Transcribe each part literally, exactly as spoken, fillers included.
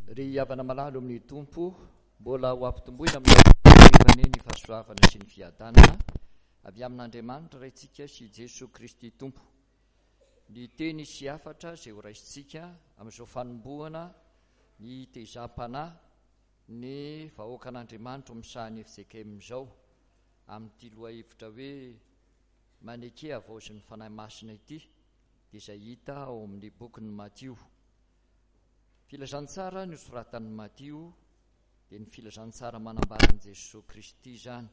Ry havana malala amin'ny Tompo, mbola ho ampitomboina amin'ny ny fahasoavana sy ny fiadanana avy amin'Andriamanitra Raintsika sy Jesoa Kristy Tompo. Ny teny sy hafatra izay ho raisintsika amin'izao fanombohana ny tezam-panahy ny vahoakan'Andriamanitra misahan'ny F J K M izao amin'ity lohahevitra hoe maneke havaozin'ny Fanahy Masina ity, dia izay hita ao amin'ny bokin'i Matio. Filazantsara nosoratan'i Matio dia ny filazantsara manambara an'i Jesoa Kristy izany.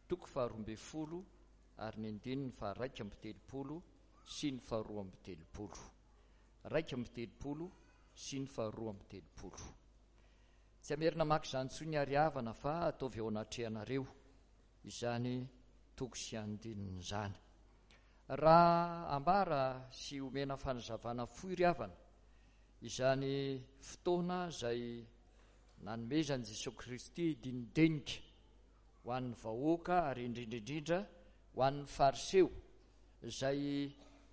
Toko faharoa ambin'ny folo ary ny andininy faharaika amby telopolo sy ny faharoa amby telopolo. Raika amby telopolo sy ny faharoa amby telopolo. Tsy hamerina maka izany intsony ary havana fa ataovy eo anatrehanareo izany toko sy andininy izany. Raha ambara sy omena fanazavana fohy ry havana, izany fotoana izay nanomezan'i Jesoa Kristy dinidinika ho an'ny vahoaka ary indrindra indrindra ho an'ny Fariseo izay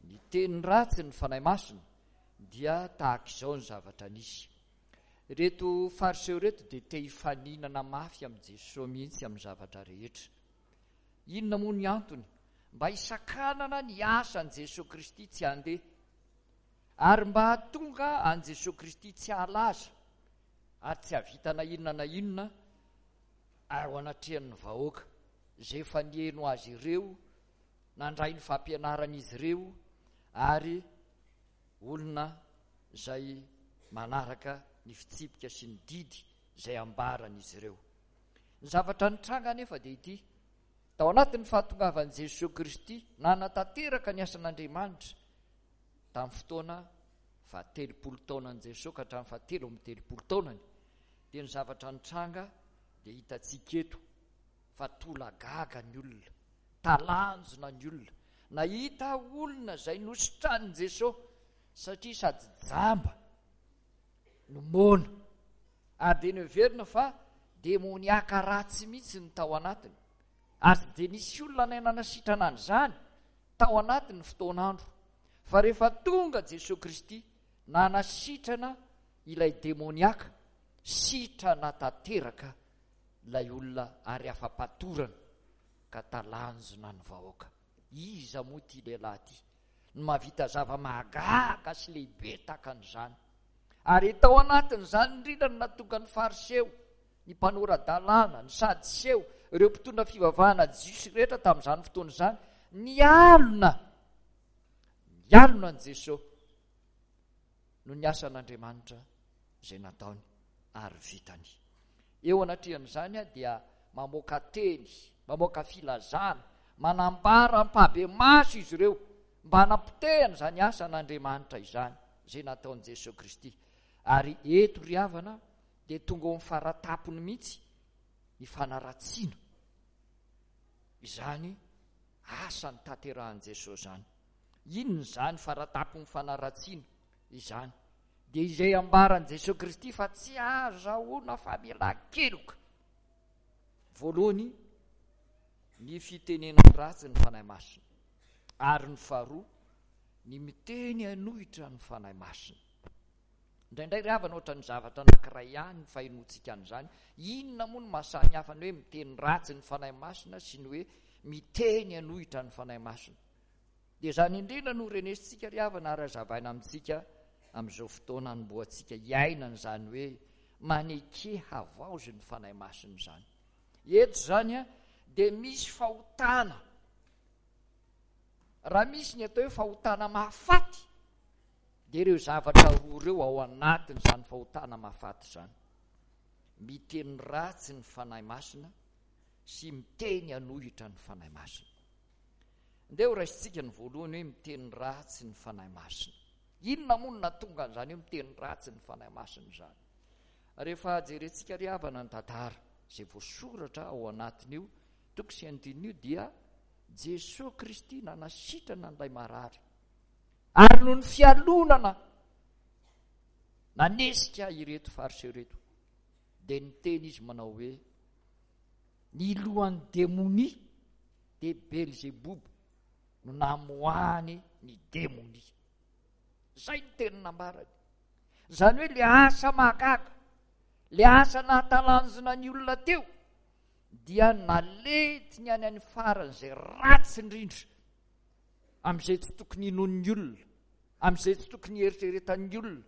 niteny ratsy ny Fanahy Masina, dia tahaka izao ny zavatra nisy. Ireto Fariseo ireto dia te hifaninana mafy amin'i Jesoa mihitsy amin'ny zavatra rehetra. Inona moa ny antony? Mba hisakanana ny asan'i Jesoa Kristy tsy handeha, ary mba hahatonga an'i Jesoa Kristy tsy hahalaza ary tsy hahavita na inona na inona ary ho anatrehan'ny vahoaka izay efa nihaino azy ireo, nandray ny fampianaran'izy ireo, ary olona izay manaraka ny fitsipika sy ny didy izay ambaran'izy ireo. Ny zavatra nitranga anefa dia ity: tao anatin'ny fahatongavan'i Jesoa Kristy nanatanteraka ny asan'Andriamanitra tamin'ny fotoana fahatelopolo taonan'i Jesoa ka hatramin'ny fahatelo amby telopolo taonany, dia ny zavatra nitranga dia hitantsika eto fa tolagaga ny olona, talanjona ny olona, nahita olona izay nositranin'i Jesoa satria sady jamba no moana, ary dia noheverina fa demoniaka ratsy mihitsy ny tao anatiny, ary tsy dia nisy olona nanasitrana an'izany tao anatin'ny fotoan'andro. Fa rehefa tonga Jesoa Kristy nanasitrana ilay demoniaka, sitrana tanteraka ilay olona ary afa-patorana ka talanjona ny vahoaka. Iza moa ity lehilahy ity no mahavita zava-mahagaga sy lehibe tahaka an'izany? Ary tao anatin'izany indrindra no nahatonga ny Fariseo, ny mpanora-dalàna, ny Sadiseo, ireo mpitondra fivavahana jiosy rehetra tamin'izany fotoana izany, nialona, nialona an'i Jesoa noho ny asan'Andriamanitra izay nataony ary vitany. Eo anatrehan'izany dia mamoaka teny, mamoaka filazana, manambara ampahibemaso izy ireo mba hanapotehana izany asan'Andriamanitra izany izay nataon'i Jesoa Kristy. Ary eto ry havana dia tonga ao amin'ny faratapony mihitsy ny fanaratsiana izany asa notanterahan'i Jesoa izany. Inona izany faratapon'ny fanaratsiana izany? Dia izay ambaran'i Jesoa Kristy fa tsy ahazoana famelan-keloka. Voalohany, ny fitenenana ratsy ny Fanahy Masina, ary ny faharoa, ny miteny hanohitra ny Fanahy Masina. Indraindray ry havana ohatran'ny zavatra anankiray ihany ny fahenoantsika an'izany. Inona moa no mahasamy hafa ny hoe miteny ratsy ny Fanahy Masina sy ny hoe miteny hanohitra ny Fanahy Masina? Dia izany indrindra no renesintsika ry havana ary hazavaina amintsika amin'izao fotoana anombohantsika hiainana izany hoe maneke havaozy ny Fanahy Masina izany. Eto izany a, dia misy fahotana. Raha misy ny atao hoe fahotana mahafaty, dia ireo zavatra roa ireo ao anatin'izany fahotana mahafaty izany. Miteny ratsy ny Fanahy Masina sy miteny hanohitra ny Fanahy Masina. Ndeha ho raisintsika ny voalohany hoe miteny ratsy ny Fanahy Masina. Inona moa no nahatonga an'izany hoe miteny ratsy ny Fanahy Masina izany? Rehefa jerentsika ry havana ny tantara izay voasoratra ao anatin'io toko sy andininy io, dia Jesoa Kristy nanasitrana an'ilay marary, ary noho ny fialonana nanesika ireto Fariseo ireto, dia niteny izy manao hoe ny lohan'ny demonia dia Belzeboba no namoahany ny demonia. Izay ny teny nambarany. Izany hoe le asa mahagaga Le asa nahatalanjona ny olona teo dia nalentiny any any faran'izay ratsy indrindra, amin'izay tsy tokony hinoan'ny olona, amin'izay tsy tokony hieritreretan'ny olona,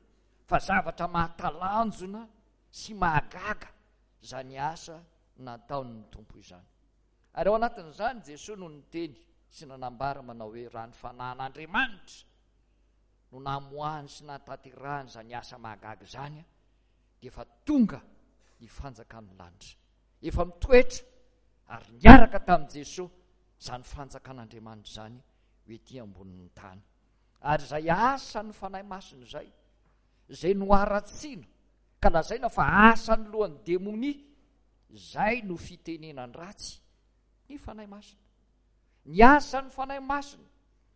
fa zavatra mahatalanjona sy mahagaga izany asa nataon'ny Tompo izany. Ary ao anatin'izany Jesoa no niteny sy nanambara manao hoe raha ny fanahin'Andriamanitra no namoahany sy nahatanterahany izany asa mahagaga izany, dia efa tonga ny fanjakan'ny lanitra. Efa mitoetra ary niaraka tamin'i Jesoa izany fanjakan'Andriamanitra izany ho ety ambonin'ny tany. Ary izay asan'ny Fanahy Masina izay, izay noharatsiana ka lazaina fa asan'ny lohan'ny demonia, izay no fitenenan-dratsy ny Fanahy Masina. Ny asan'ny Fanahy Masina,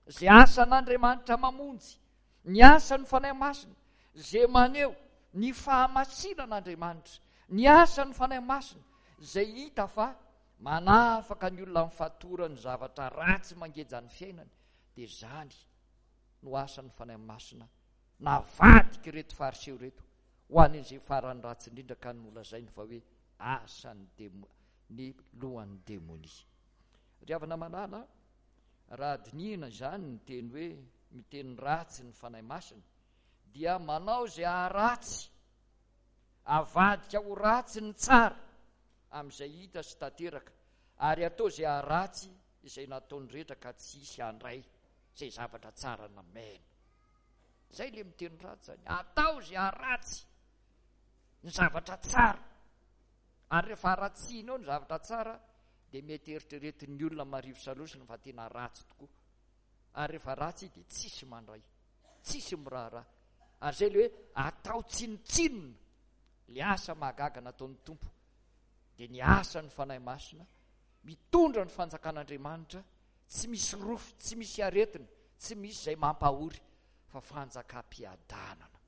izay asan'Andriamanitra mamonjy, ny asan'ny Fanahy Masina, izay maneho ny fahamasinan'Andriamanitra, ny asan'ny Fanahy Masina, izay hita fa manafaka ny olona amin'ny fatoran'ny zavatra ratsy mangeja ny fiainany, dia izany no asan'ny Fanahy Masina navadika ireto Fariseo ireto ho an'izay farany ratsy indrindra ka nolazainy fa hoe asan'ny demo, ny lohan'ny demonia. Ry havana malala, raha dinihina izany ny teny hoe miteny ratsy ny Fanahy Masina, dia manao izay haharatsy, avadika ho ratsy ny tsara amin'izay hita sy tanteraka, ary atao izay haharatsy izay nataony rehetra ka tsy hisy handray izay zavatra tsara namena. Izay le miteny ratsy zany, atao izay haharatsy ny zavatra tsara. Ary rehefa haratsiana eo ny zavatra tsara, dia mety eritreretin'ny olona marivo salosina fa tena ratsy tokoa. Ary rehefa ratsy dia tsisy mandray, tsisy miraharaha. Ary izay le hoe atao tsinontsinona le asa mahagaga nataon'ny Tompo, dia ny asan'ny Fanahy Masina mitondra ny fanjakan'Andriamanitra, tsy misy rofy, tsy misy aretina, tsy misy izay mampahory, fa fanjakam-piadanana.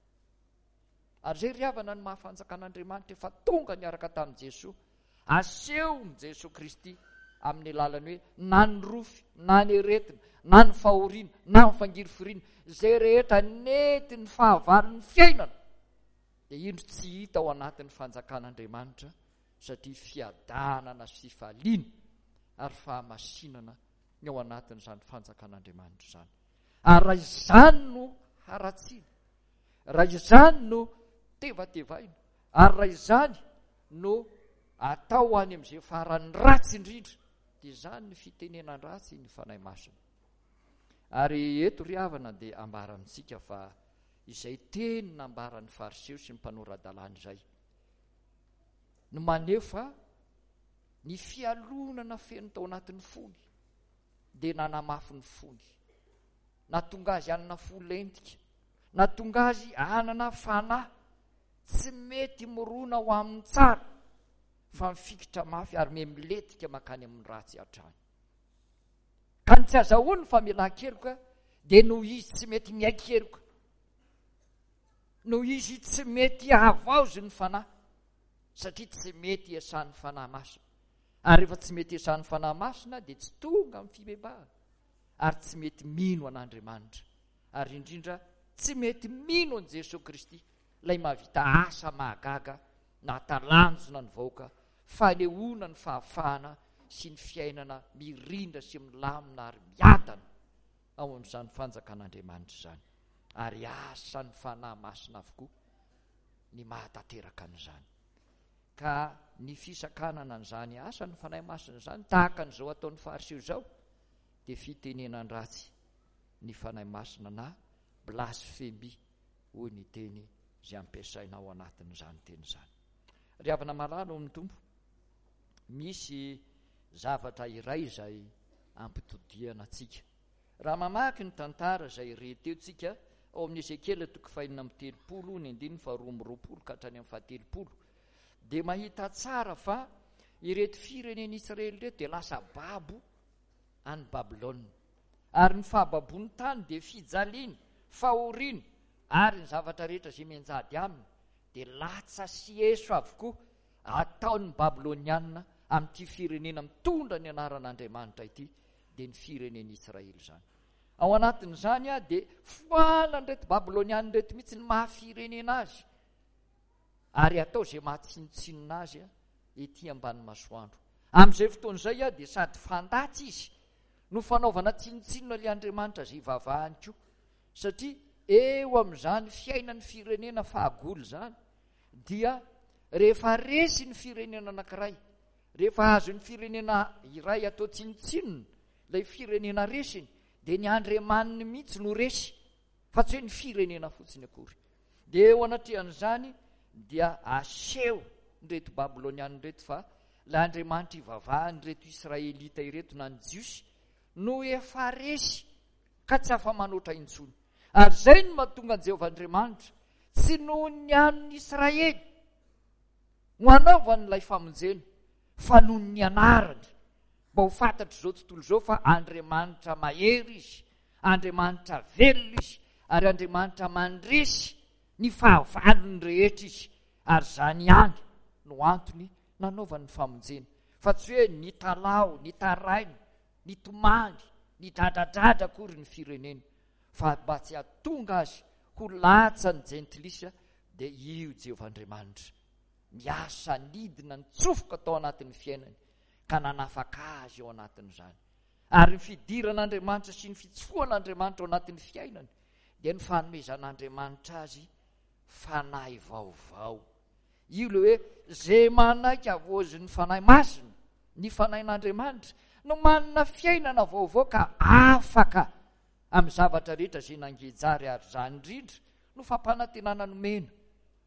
Ary izay ry havana ny maha fanjakan'Andriamanitra efa tonga niaraka tamin'i Jesoa, asehon'i Jesoa Kristy amin'ny alalan'ny hoe na ny rofy, na ny aretina, na ny fahoriana, na ny fangirifiriana, izay rehetra nentin'ny fahavalon'ny fiainana, dia indro tsy hita ao anatin'ny fanjakan'Andriamanitra, satria fiadanana sy fifaliana ary fahamasinana ny ao anatin'izany fanjakan'Andriamanitra izany. Ary raha izany no haratsiana, raha izany no tevatevaina, ary raha izany no atao any amin'izay farany ratsy indrindra, dia izany ny fitenenan-dratsy ny Fanahy Masina. Ary eto ry havana dia ambara amintsika fa izay teny nambaran'ny Fariseo sy ny mpanora-dalàna izay no maneho fa ny fialonana feno tao anatin'ny fony dia nanamafy ny fony, nahatonga azy hanana fo lentika, nahatonga azy hanana fanahy tsy mety mirona ho amin'ny tsara fa mifikitra mafy ary miha-milentika mankany amin'ny ratsy hatrany. Ka ny tsy azahoany famelan-keloka dia noho izy tsy mety miaiky heloka, noho izy tsy mety havaozy ny fanahy, satria tsy mety iasan'ny Fanahy Masina. Ary rehefa tsy mety iasan'ny Fanahy Masina dia tsy tonga amin'ny fibebahana, ary tsy mety mino an'Andriamanitra, ary indrindra tsy mety mino an'i Jesoa Kristy, ilay mahavita asa mahagaga nahatalanjona ny vahoaka, fanehoana ny fahafahana sy ny fiainana mirindra sy milamina ary miadana ao amin'izany fanjakan'Andriamanitra izany. Ary asan'ny Fanahy Masina avokoa ny mahatanteraka an'izany. Ka ny fisakanana an'izany asan'ny Fanahy Masina izany, tahaka an'izao ataon'ny Fariseo izao, dia fitenenan-dratsy ny Fanahy Masina na blasfemia, hoy ny teny izay ampiasaina ao anatin'izany teny izany. Ry havana malala ao amin'ny Tompo, misy zavatra iray izay ampitodihana antsika. Raha mamaky ny tantara izay re teo tsika ao amin'ny Ezekiela toko fahenina amby telopolo, ny andininy faharoa amby roapolo ka hatrany amin'ny fahatelopolo, dia mahita tsara fa ireto firenen'Israely ireto dia lasa babo any Babylona. Ary ny fahababoany tany dia fijaliana, fahoriana, ary ny zavatra rehetra izay mianjady aminy dia latsa sy eso avokoa ataon'ny Babylonianina amin'ity firenena mitondra ny anaran'Andriamanitra ity, dia ny firenen'Israely izany. Ao anatin'izany dia foanan'ireto Babylonianina ireto mihitsy ny maha firenena azy, ary atao izay mahatsinontsinona azy ety ambany masoandro. Amin'izay fotoana izay dia sady fandatsy izy no fanaovana tsinontsinona ilay Andriamanitra izay ivavahany koa, satria eo amin'izany fiainan'ny firenena fahagola izany dia rehefa resy ny firenena anankiray, rehefa azon'ny firenena iray atao tsinontsinona ilay firenena resiny, dia ny Andriamaniny mihitsy no resy, fa tsy hoe ny firenena fotsiny akory. Dia eo anatrehan'izany dia aseho ireto Babylonianina ireto fa ilay Andriamanitra ivavahany ireto Israelita ireto na ny Jiosy no efa resy ka tsy afa-manoatra intsony. Ary izay no mahatonga an'i Jehovah Andriamanitra tsy noho ny an'ny Israely no hanaovany ilay famonjena, fa noho ny anarany, mba ho fantatr'izao tontolo izao fa Andriamanitra mahery izy, Andriamanitra velona izy, ary Andriamanitra mandresy ny fahavalony rehetra izy. Ary izany ihany no antony nanaovany ny famonjena, fa tsy hoe nitalaho, nitaraina, nitomany, nidradradradra akory ny firenena, fa mba tsy hahatonga azy ho latsan'ny jentilisa, dia io Jehovah Andriamanitra miasa nidina nitsofoka tao anatin'ny fiainany ka nanafaka azy ao anatin'izany. Ary ny fidiran'Andriamanitra sy ny fitsofohan'Andriamanitra ao anatin'ny fiainany dia ny fanomezan'Andriamanitra azy fanahy vaovao. Io le hoe zay manaiky havoazin'ny Fanahy Masina, ny Fanahin'Andriamanitra, no manana fiainana vaovao ka afaka amin'ny zavatra rehetra izay nangejary. Ary izany indrindra no fampanantenana nomena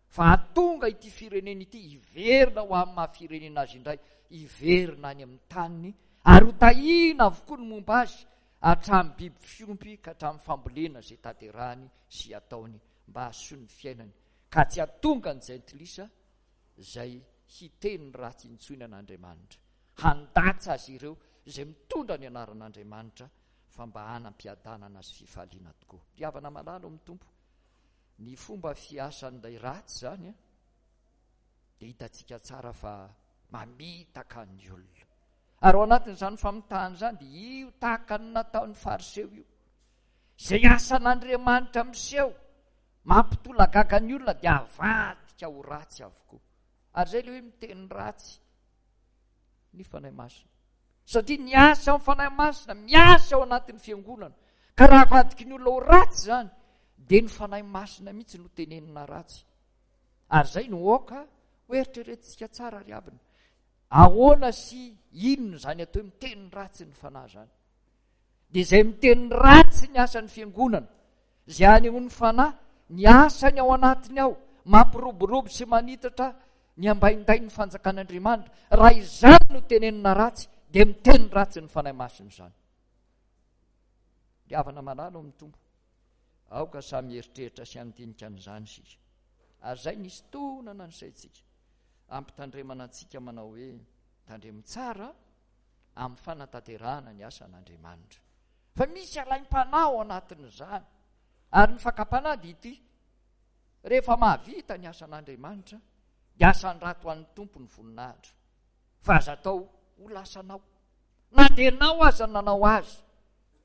fa hahatonga ity firenena ity hiverina ho amin'ny maha firenena azy indray, hiverina any amin'ny taniny, ary ho tahiana avokoa ny momba azy, hatramin'ny biby fiompy ka hatramin'ny fambolena izay tanterahany sy ataony mba hahasoa ny fiainany, ka tsy hahatonga ny jentilisa izay hiteny ratsy intsony an'Andriamanitra, handatsa azy ireo izay mitondra ny anaran'Andriamanitra, fa mba hanam-piadanana sy fifaliana tokoa. Ry havana malala ao amin'ny Tompo, ny fomba fiasan'ilay ratsy izany dia hitantsika tsara fa mamitaka ny olona. Ary ao anatin'izany famitahana izany dia io tahaka ny nataon'ny Fariseo io, izay asan'Andriamanitra miseho mampitolagaga ny olona dia avadika ho ratsy avokoa. Ary izay ilay hoe miteny ratsy ny Fanahy Masina, satria ny asa amin'ny Fanahy Masina miasa ao anatin'ny fiangonana, ka raha avadiky ny olona ho ratsy izany dia ny Fanahy Masina mihitsy no tenenina ratsy. Ary izay no aoka ho eritreretintsika tsara ry havana. Ahoana sy inona izany atao hoe miteny ratsy ny Fanahy izany? Dia izay miteny ratsy ny asan'ny fiangonana, izay anehoan'ny Fanahy ny asany ao anatiny ao, mampiroborobo sy manitatra ny ambaindain'ny fanjakan'Andriamanitra, raha izany no tenenina ratsy dia miteny ratsy ny Fanahy Masina izany. Ry havana malala ao amin'ny Tompo, aoka samy eritreritra sy handinika an'izany isika. Ary izay nisy tonana ny saintsika, ampitandremana antsika manao hoe tandremo tsara amin'ny fanatanterahana ny asan'Andriamanitra, fa misy alaim-panahy ao anatin'izany. Ary ny fakam-panahy dia ity: rehefa mahavita ny asan'Andriamanitra dia asandrato an'ny Tompo ny voninahitra, fa aza atao ho lasanao na dia ianao aza nanao azy,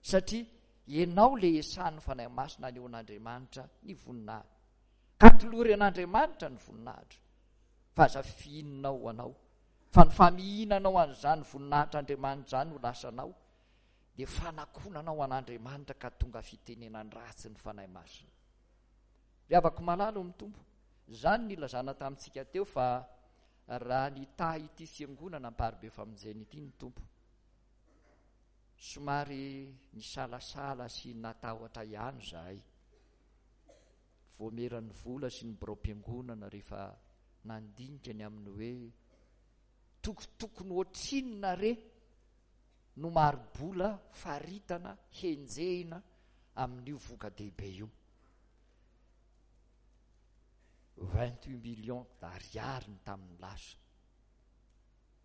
satria ianao le esan'ny Fanahy Masina anehoan'Andriamanitra ny voninahitra, ka tolory an'Andriamanitra ny voninahitra, fa aza fihininao ho anao, fa ny famihinanao an'izany voninahitr'Andriamanitra izany ho lasanao dia fanakonanao an'Andriamanitra ka tonga fitenenan-dratsy ny Fanahy Masina. Ry havako malala ao amin'ny Tompo, izany nilazana tamintsika teo fa raha nitahy ity fiangonana Amparibe Famonjena ity ny Tompo, somary nisalasala sy natahotra ihany izahay, voameran'ny vola sy ny biraom-piangonana rehefa nandinika ny amin'ny hoe tokotokony ohatrinona re no mari-bola faritana henjehina amin'io voka-dehibe io. vingt-huit millions d'ariary ny tamin'ny lasa.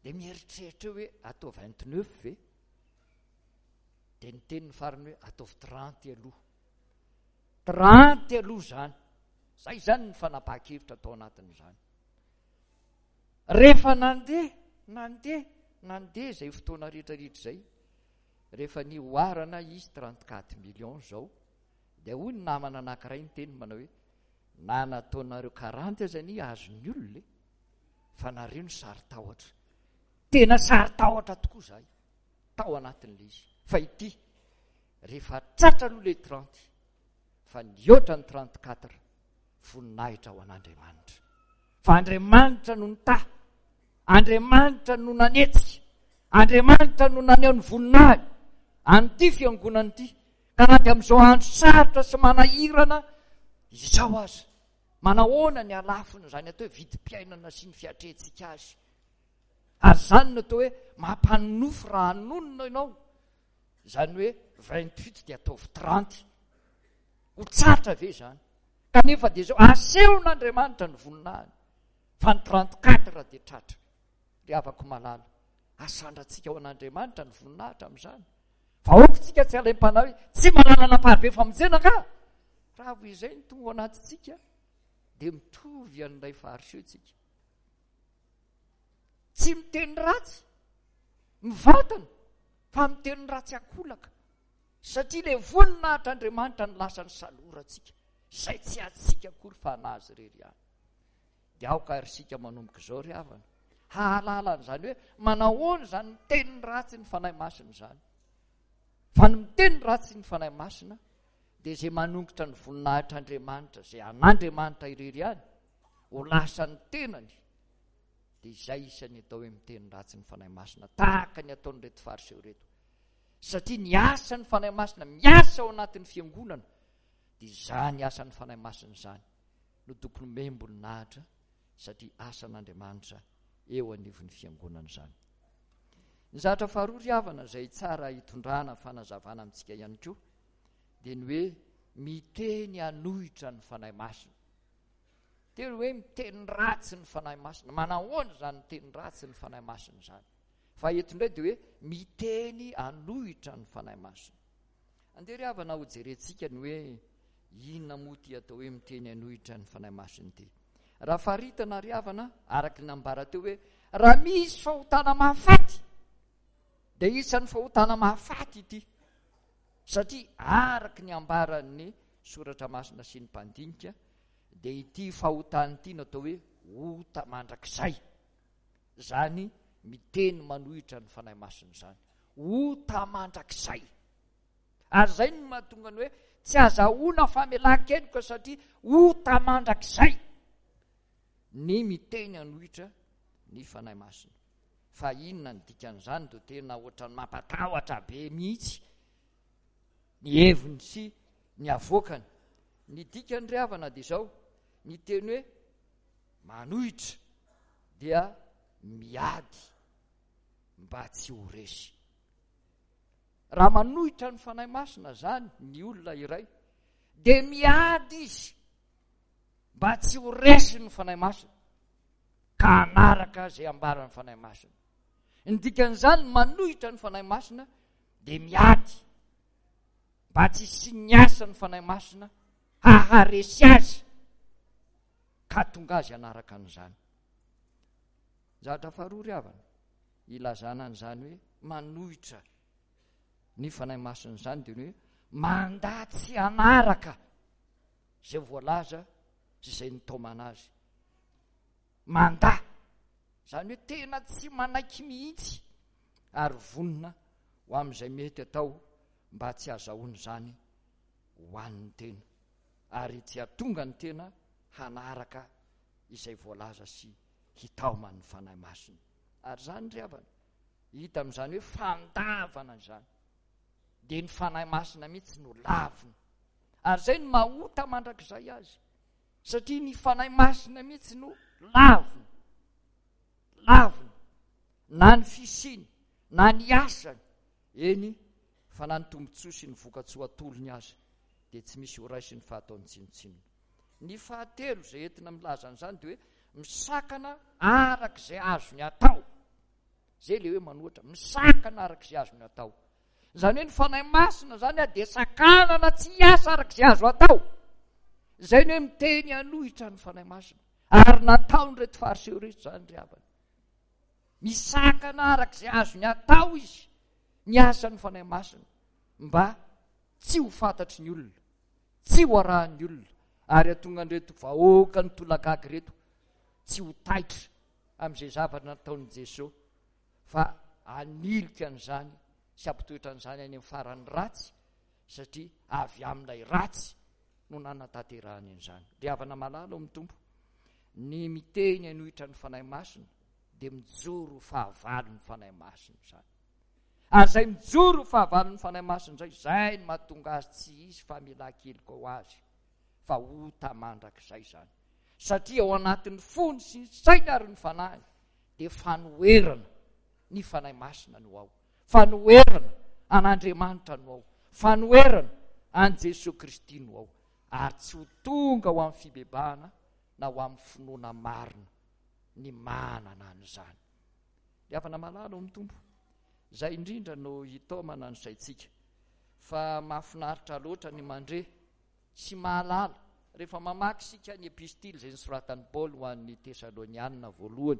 Dia mieritreritra hoe atao vingt-neuf ve? Dia niteny ny farany hoe ataovy trente aloha. Trente aloha izany. Zay izany ny fanapahan-kevitra tao anatin'izany. Rehefa nandeha, nandeha, nandeha izay fotoana rehetrarehetra izay, rehefa nihoarana izy trente-quatre millions izao, dia hoy ny namana anankiray niteny manao hoe Na nataonareo quarante aza ny azon'ny olona e, fa nareo no saro-tahotra. Tena saro-tahotra tokoa zahay tao anatin'ilay izy. Fa ity rehefa tratra aloha le trente, fa nihoatra ny trente-quatre, voninahitra ho an'Andriamanitra. Fa Andriamanitra no nitahy, Andriamanitra no nanetsika, Andriamanitra no naneho ny voninahiny an'ity fiangonana ity. Ka na dia amin'izao andro sarotra sy manahirana izao aza, manahoana ny halafony izany atao hoe vidim-piainana sy ny fiatrehantsika azy. Ary izany no atao hoe mampanonofy raha hanonona ianao. Izany hoe vingt-huit dia ataovy trente. Ho tsatra ve izany? Kanefa dia izao asehon'Andriamanitra ny voninahiny, fa ny trente-quatre dia tratra. Ry havako malala, asandrantsika ho an'Andriamanitra ny voninahitra amin'izany. Fa aoka tsika tsy alaim-panahy hoe tsy manana amparibe famonjena angaha. Raha vao izay no tonga ao anatintsika dia mitovy an'ilay fariseo tsika. Tsy miteny ratsy mivantana fa miteny ratsy ankolaka, satria ilay voninahitr'Andriamanitra no lasa ny salorantsika, izay tsy antsika akory fa anazy irery ihany. Dia aoka ary isika manomboka izao ry havana hahalala an'izany hoe manahoana izany miteny ratsy ny Fanahy Masina izany. Fa ny miteny ratsy ny Fanahy Masina dia izay manongotra ny voninahitr'Andriamanitra, izay an'Andriamanitra irery ihany, ho lasa ny tenany. Dia izay isan'ny atao hoe miteny ratsy ny Fanahy Masina, tahaka ny ataon'ireto fariseo ireto. Satria ny asan'ny Fanahy Masina miasa ao anatin'ny fiangonana, dia izany asan'ny Fanahy Masina izany no tokony omem-boninahitra, satria asan'Andriamanitra eo anivon'ny fiangonana izany. Ny zavatra faharoa ry havana izay tsara hitondrana fanazavana amintsika ihany koa dia ny hoe miteny hanohitra ny Fanahy Masina. Teny hoe miteny ratsy ny Fanahy Masina. Manahoana izany miteny ratsy ny Fanahy Masina izany? Fa eto indray dia hoe miteny hanohitra ny Fanahy Masina. Andeha ry havana ho jerentsika ny hoe inona moa ity atao hoe miteny hanohitra ny Fanahy Masina ity. Raha faritana ry havana, araka ny nambara teo hoe raha misy fahotana mahafaty dia isan'ny fahotana mahafaty ity, satria araka ny ambaran'ny soratra masina sy ny mpandinika dia ity fahotana ity no atao hoe ota mandrakizay. Izany miteny manohitra ny Fanahy Masina izany, ota mandrakizay. Ary izay no mahatonga ny hoe tsy azahoana famelan-keloka, satria ota mandrakizay ny miteny hanohitra ny Fanahy Masina. Fa inona ny dikan'izany? Dia tena ohatran'ny mampatahotra be mihitsy ny heviny sy ny avoakany. Ny dikany ry havana dia izao, ny teny hoe manohitra dia miady mba tsy ho resy. Raha manohitra ny Fanahy Masina zany ny olona iray dia miady izy mba tsy ho resy ny Fanahy Masina ka hanaraka izay ambaran'ny Fanahy Masina. Ny dikan'izany manohitra ny Fanahy Masina dia miady mba tsy hisian'ny asan'ny Fanahy Masina haharesy azy ka tonga azy hanaraka an'izany. Zavatra faharoa ry havana ilazana an'izany hoe manohitra ny Fanahy Masina izany dia ny hoe mandà tsy hanaraka izay voalaza sy izay nitaomana azy. Mandà izany hoe tena tsy manaiky mihitsy ary vonona ho amin'izay mety atao mba tsy hahazahoana izany ho an'ny tena ary tsy hahatonga ny tena hanaraka izay voalaza sy hitaoman'ny Fanahy Masina. Ary izany ry havana hita amin'izany hoe fandavana izany dia ny Fanahy Masina mihitsy no lavina. Ary izay no mahota mandrakizay azy, satria ny Fanahy Masina mihitsy no lavina. Lavina na ny fisiany na ny asany, eny fa na ny tombontsoa sy ny vokatsoa atolony azy dia tsy misy ho raisiny fa ataony tsinontsinona. Ny fahatelo izay entina milaza an'izany dia hoe misakana araka izay azony atao. Izay ilay hoe manohitra, misakana araka izay azony atao. Izany hoe ny Fanahy Masina izany dia sakanana tsy hiasa araka izay azo atao. Izay ny hoe miteny hanohitra ny Fanahy Masina. Ary nataon'ireto fariseo ireto izany ry havana. Misakana araka izay azony atao izy ny asan'ny Fanahy Masina mba tsy ho fantatry ny olona, tsy ho arahan'ny olona, Ary hahatonga an'ireto vahoaka nitolagaga ireto tsy ho taitra amin'izay zavatra nataon'i Jesoa, fa hanilika an'izany sy hampitoetra an'izany any amin'ny farany ratsy, satria avy amin'ilay ratsy no nanatanterahany an'izany. Ry havana malala ao amin'ny Tompo, ny miteny hanohitra ny Fanahy Masina dia mijoro ho fahavalon'ny Fanahy Masina izany. Ary izay mijoro ho fahavalon'ny Fanahy Masina izay, izay no mahatonga azy tsy hisy famelan-keloka ho azy, fa ota mandrakizay izany. Satria ao anatin'ny fony sy ny sainy ary ny fanahiny dia fanoherana ny Fanahy Masina no ao, fanoherana an'Andriamanitra no ao, fanoherana an'i Jesoa Kristy no ao, ary tsy ho tonga ho amin'ny fibebahana na ho amin'ny finoana marina ny manana an'izany. Ry havana malala ao amin'ny Tompo, izay indrindra no hitaomana ny saintsika, fa mahafinaritra loatra ny mandre sy mahalala rehefa mamaky isika ny epistily izay nosoratan'i Paoly ho an'ny Tesalonianina voalohany,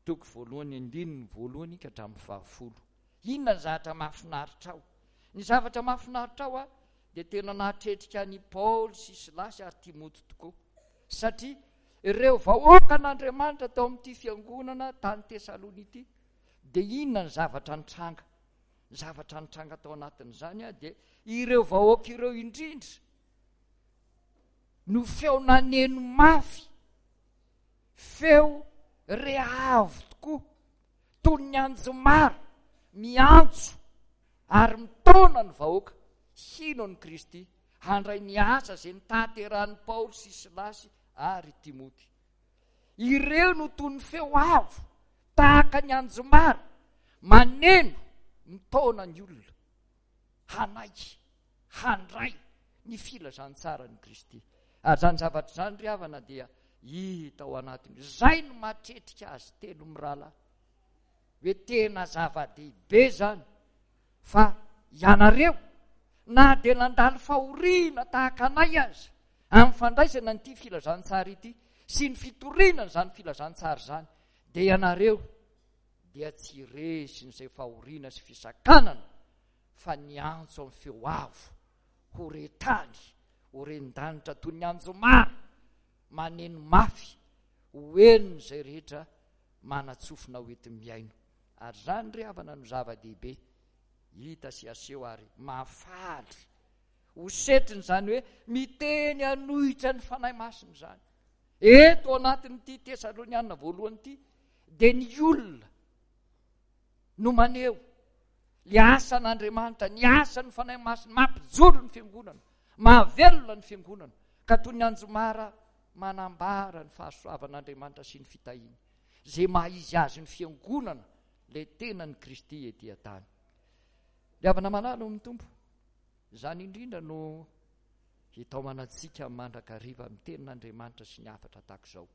toko voalohany andininy voalohany ka hatramin'ny fahafolo. Inona ny zavatra mahafinaritra ao? Ny zavatra mahafinaritra ao a, dia tena nahatretrika an'i Paoly sy Silasy ary Timoty tokoa, satria ireo vahoakan'Andriamanitra tao amin'ity fiangonana tany Tesalonia ity, dia inona ny zavatra nitranga? Ny zavatra nitranga tao anatin'izany a, dia ireo vahoaka ireo indrindra no feo naneno mafy, feo re avo tokoa, toy ny anjomara miantso ary mitaona ny vahoaka hino an'i Kristy, handray ny asa izay notanterahin'i Paoly sy Silasy ary Timoty. Ireo no toy ny feo avo, tahaka ny anjomara, maneno, mitaona ny olona hanaiky, handray ny filazantsaran'i Kristy. Ary izany zavatra izany ry havana dia hita ao anatiny. Izay no mahatretrika azy telo mirahalahy, hoe tena zava-dehibe izany fa ianareo na dia nandalo fahoriana tahaka anay aza amin'ny fandraisana an'ity filazantsara ity sy ny fitoriana izany filazantsara izany, dia ianareo dia tsy resin'izay fahoriana sy fisakanana, fa niantso amin'ny feo avo ho re tany, ho ren-danitra toy ny anjomara maneno mafy ho henon'izay rehetra manatsofina ho enti-mihaino. Ary izany ry havana no zava-dehibe hita sy aseho ary mahafaly ho setrin'izany hoe miteny hanohitra ny Fanahy Masina izany. Eto anatin'ity Tesalonianina voalohany ity dia ny olona no maneho ny asan'Andriamanitra, ny asan'ny Fanahy Masina, mampijoro ny fiangonana, mahavelona ny fiangonana, ka toy ny anjomara manambara ny fahasoavan'Andriamanitra sy ny fitahiany, izay maha izy azy ny fiangonana, ilay tenan'i Kristy ety an-tany. Ry havana malala ao amin'ny Tompo, izany indrindra no hitaomana antsika mandrakariva amin'ny tenin'Andriamanitra sy ny hafatra tahaka izao.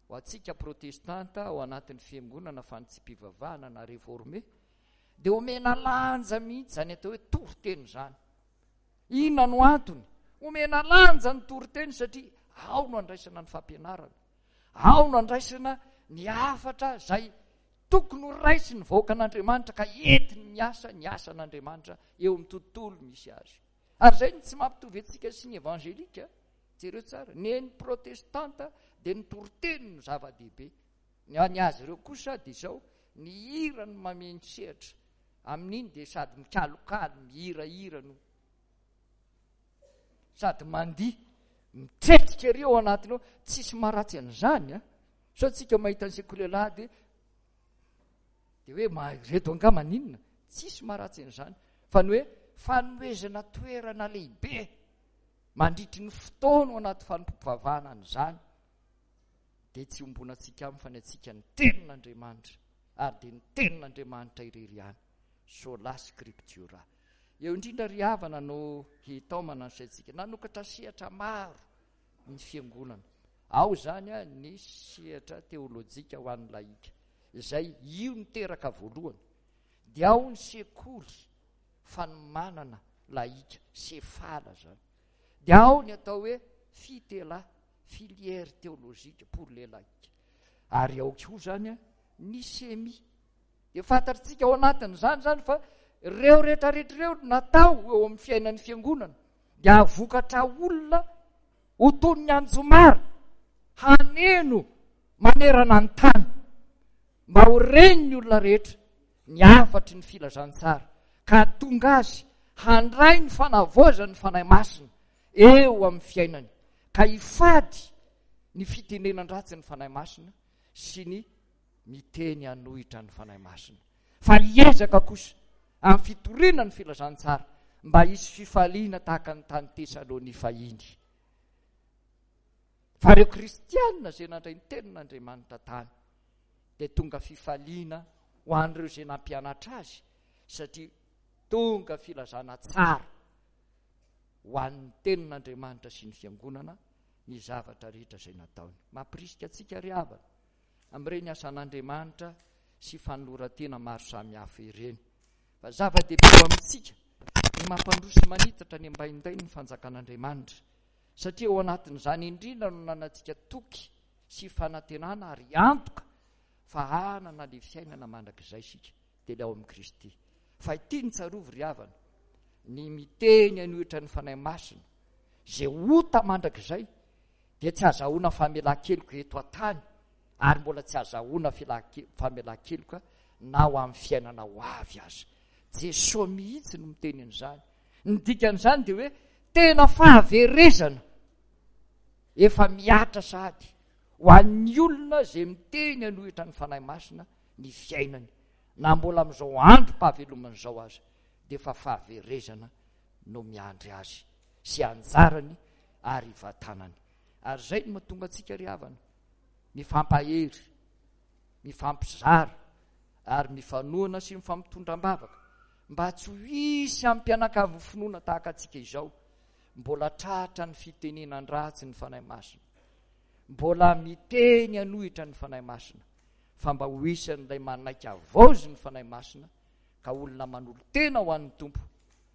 Ho antsika protestanta ao anatin'ny fiangonana fanitsiam-pivavahana na réformé, dia omena lanja mihitsy izany atao hoe toriteny izany. Inona no antony? Omena lanja ny toriteny satria ao no andraisana ny fampianarana, ao no andraisana ny hafatra izay tokony ho raisin'ny vahoakan'Andriamanitra ka entiny miasa ny asan'Andriamanitra eo amin'ny tontolo misy azy. Ary izay no tsy mampitovy antsika sy ny evangelika. Jereo tsara, ny an'ny protestanta dia ny toriteny no zava-dehibe, ny an'ny azy ireo kosa dia izao, ny hira no mameno sehatra. Amin'iny dia sady mikalokalo, mihirahira no sady mandihy, mitretrika ery ao anatiny ao. Tsisy maharatsy an'izany a. Sao tsika mahita ny sekoly alahady dia hoe ma-, ireto angaha maninona? Tsisy maharatsy an'izany, fa ny hoe fanomezana toerana lehibe mandritry ny fotoana ao anaty fanompoam-pivavahana an'izany dia tsy ombonantsika aminy fa ny antsika ny tenin'Andriamanitra, ary dia ny tenin'Andriamanitra irery ihany, sola scriptura. Eo indrindra ry havana no hitaomana ny saintsika. Nanokatra sehatra maro ny fiangonana. Ao izany a, ny sehatra teolojika ho an'ny laika, izay io niteraka voalohany. Dia ao ny sekoly fanomanana laika, sefala zany. Dia ao ny atao hoe fitela, filière théologique pour les laïcs. Ary ao koa zany a, ny semi. Dia fantatsika ao anatin'izany zany fa ireo rehetrarehetra ireo natao eo amin'ny fiainan'ny fiangonana dia hahavokatra olona ho toy ny anjomara haneno manerana ny tany, mba ho ren'ny olona rehetra ny hafatry ny filazantsara, ka tonga azy handray ny fanavaozan'ny Fanahy Masina eo amin'ny fiainany, ka hifady ny fitenenan-dratsy ny Fanahy Masina sy ny miteny hanohitra ny Fanahy Masina, fa hiezaka kosa amin'ny fitoriana ny filazantsara mba hisy fifaliana tahaka ny tany Tesalonia fahiny. Fa ireo kristianina izay nandray ny tenin'Andriamanitra tany dia tonga fifaliana ho an'ireo izay nampianatra azy, satria tonga filazana tsara ho an'ny tenin'Andriamanitra sy ny fiangonana ny zavatra rehetra izay nataony. Mampirisika antsika ry havana amin'ireny asan'Andriamanitra sy fanoloran-tena maro samihafa ireny, fa zava-dehibe ho amintsika ny mampandroso manitatra ny ambaindainy ny fanjakan'Andriamanitra, satria ao anatin'izany indrindra no nanantsika toky sy fanantenana ary antoka fa hanana le fiainana mandrakizay isika, dia ilay ao amin'i Kristy. Fa ity ny tsarovy ry havana, ny miteny hanohitra ny Fanahy Masina izay ota mandrakizay dia tsy azahoana famelan-keloka eto an-tany, ary mbola tsy azahoana famelan-keloka na ho amin'ny fiainana ho avy aza. Jesoa mihitsy no miteny an'izany. Ny dikan'izany dia hoe tena fahaverezana efa mihatra sahady ho an'ny olona izay miteny hanohitra ny Fanahy Masina ny fiainany, na mbola amin'izao androm-pahavelomana izao aza, dia efa fahaverezana no miandry azy sy anjarany ary vatanany. Ary izay no mahatonga antsika ry havana mifampahery, mifampizara ary mifanohana sy mifampitondra am-bavaka, mba tsy ho hisy ampianakavy finoana tahaka antsika izao, mbola tratra ny fitenenan-dratsy ny Fanahy Masina, mbola miteny hanohitra ny Fanahy Masina, fa mba ho isan'ilay manaiky havaozy ny Fanahy Masina, ka olona manolo-tena ho an'ny Tompo,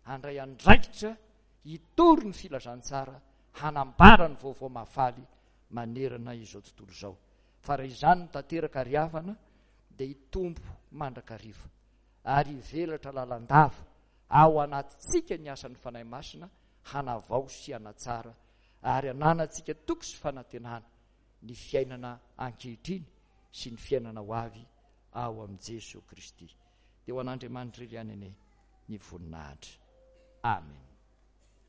handray andraikitra hitory ny filazantsara, hanambara ny vaovao mahafaly manerana izao tontolo izao. Fa raha izany no tanteraka ry havana, dia hitombo mandrakariva ary hivelatra lalandava ao anatintsika ny asan'ny Fanahy Masina hanavao sy hanatsara ary hananantsika toky sy fanantenana ny fiainana ankehitriny sy ny fiainana ho avy ao amin'i Jesoa Kristy. Dia ho an'Andriamanitra irery ihany anie ny voninahitra. Amen.